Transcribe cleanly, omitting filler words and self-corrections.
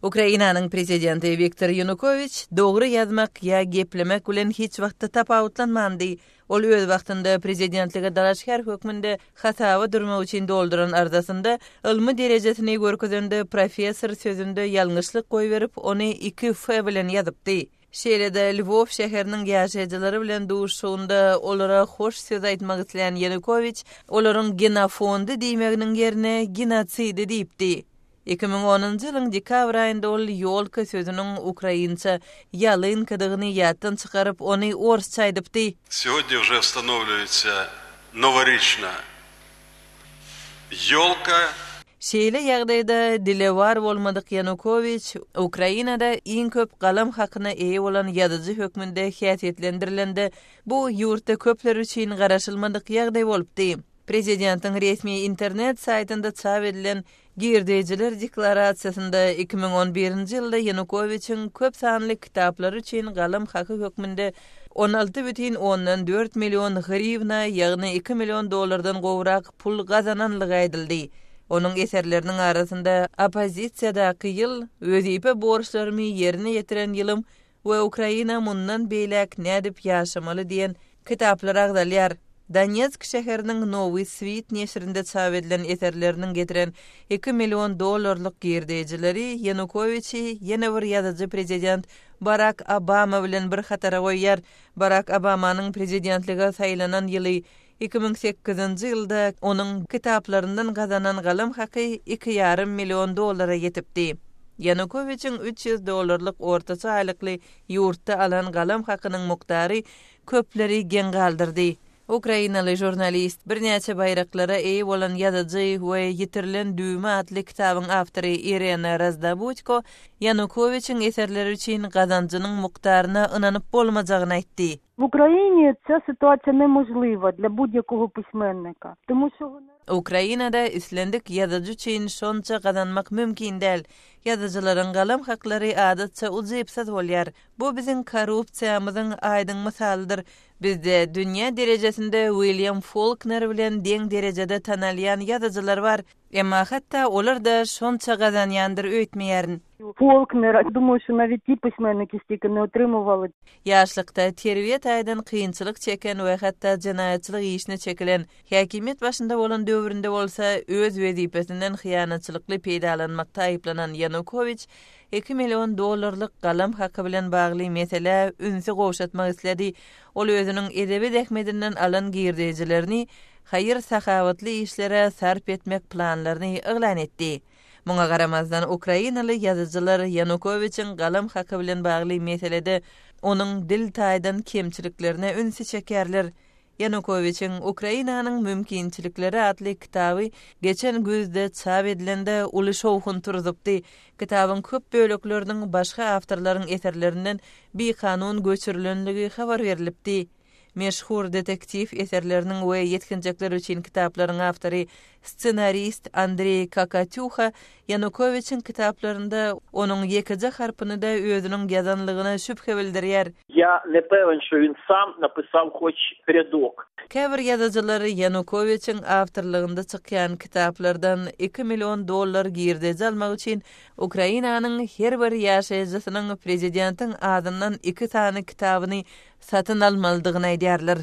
Ukrainanyň prezidenti Wiktor Ýanukowiç dogry ýazmak ýa geplemek bilen hiç wagtda tapawutlanmandy. Ol öz wagtynda prezidentlige dalaşgär hökmünde hasaba durmak üçin dolduran arzasynda ylmy derejesini görkezende professor sözünde ýalňyşlyk goýberip, ony 2 F bilen ýazypdy. Şeýle-de Lwow şäheriniň ýaşaýjylary bilen duşuşygynda olara hoş söz aýtmak islän Ýanukowiç olaryň genofondy diýmeginiň ýerine genosidi diýipdi. 2010-njy ýylyň dekabr aýynda ol ýolka sözüniň ukrainça ýalynkadygyny ýatdan çykaryp, ony orsça aýdypdy. Segodnýa uje wstanowliwaýtsa noworiçna ýolka. Şeýle ýagdaýda dilewar bolmadyk Ýanukowiç Ukrainada iň köp galam hakyna eýe bolan ýazyjy hökmünde häsiýetlendirilende, bu ýurtda köpler üçin garaşylmadyk ýagdaý bolupdy. Prezidentiň resmi internet saýtynda çap edilen Girdejiler deklarasiýasynda 2011-nji ýylda Ýanukowiçiň köp sanly kitaplary üçin galam haky hökmünde 16,4 million hriwna, ýagny iki million dollardan gowrak pul gazananlygy aýdyldy. Onuň eserleriniň arasynda Oppozisiýadaky ýyl, Wezipe borçlarymy ýerine ýetiren ýylym we Ukraina mundan beýläk nädip ýaşamaly diýen kitaplar agzalýar. Donetsk şäheriniň Nowy Swit neşirinde çap edilen eserleriniň getiren iki million dollarlyk girdejileri Ýanukowiçi ýene bir ýazyjy prezident Barak Obama bilen bir hatara goýýar. Barak Obamanyň prezidentlige saýlanan ýyly 2008-nji ýylda onuň kitaplaryndan gazanan galam haky iki ýarym million dollara ýetipdi. Ýanukowiçiň 300 dollarlyk ortaça aýlykly ýurtda alan galam hakynyň mukdary köpleri geň galdyrdy. Ukrainaly žurnalist, birnäçe baýraklara eýe bolan ýazyjy we Ýitirilen düwme atly kitabyň awtory Irena Razdobudko Ýanukowiçiň eserleri üçin gazanjynyň mukdaryna ynanyp bolmajagyny aýtdy. W Ukrainie ca sytuacja niemożliwa dla budź-jakiego piśmiennika, tomu şo honorar. Ukrainada islendik ýazyjy üçin şonça gazanmak mümkin däl. Ýazyjylaryň galam haklary adatça ujypsyz bolýar. Bu biziň korrupsiýamyzyň aýdyň mysalydyr. Bizde dünýä derejesinde Wilýam Folkner bilen deň derejede tanalýan ýazyjylar bar. Emma hatda olar-da şonça gazanýandyr öýtmeýärin. Folkner, Dumaýu, şo nawet ti pismenniki stiki ne otrymywaly. Ýaşlykda terbiýe taýdan kynçylyk çeken we hatda jenaýatçylyk işine çekilen, häkimiýet başynda bolan döwründe bolsa öz wezipesinden hyýanatçylykly peýdalanmakda aýyplanan Ýanukowiç iki million dollarlyk galam haky bilen bagly meselä ünsi gowşatmak isledi. Ol özüniň edebi zähmetinden alan girdejilerini haýyr-sahawatly işlere sarp etmek planlaryny yglan etdi. Muňa garamazdan, ukrainaly ýazyjylar Ýanukowiçiň galam haky bilen bagly meselede onuň dil taýdan kemçiliklerine ünsi çekýärler. Ýanukowiçiň Ukrainanyň mümkinçilikleri atly kitaby geçen güýzde çap edilende uly şowhun turuzupdy. Kitabyň köp bölekleriniň başga awtorlaryň eserlerinden bikanun göçürilenligi habar berlipdi. Meşhur detektiw eserleriniň we ýetginjekler üçin kitaplaryň awtory, ssenarist Andreý Kakatýuha Ýanukowiçiň kitaplarynda onuň ýekeje harpyny-da özüniň ýazanlygyna şübhe bildirýär. Ýa ne pewен, şo win sam napisal hoç rýadok. Käbir ýazyjylar Ýanukowiçiň awtorlygynda çykýan kitaplardan iki million dollar girdeji almak üçin Ukrainanyň her bir ýaşaýjysynyň prezidentiň azyndan iki sany kitabyny satyn almalydygyny aýdýarlar.